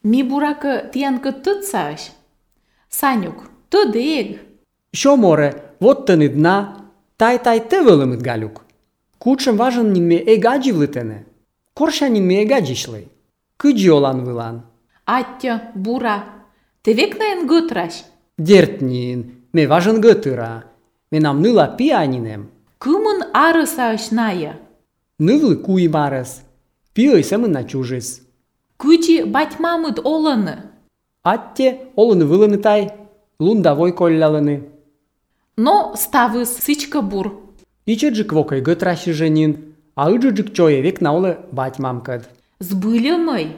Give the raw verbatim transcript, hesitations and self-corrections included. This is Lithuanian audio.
Ми бурака тиянка тыцаш. Санюк, тыдег. Шо море, вот тăнит дна, тай-тай те вăлăмыт галюк. Кучшым важын нинме эгаджи влытăнă. Корша нинме эгаджишлый. Кыджи олан вылан. Аття, бура, тевек наен гытраш. Дертнин, ме важын гăтыра. Менам ныла пианинем. Кымын арысаш ная. Нывлы куй марăс. Пиăй сăмăнна чужыс. Кычи батьмамыт оланы. Атте олыны вылăны тай, лундавой коллялыны. Но ставыс сычка бур. Ичеджик вокăй гăтраши женин, а ыджыджик чоевек наулы батьмам кăд. Збылы мăй.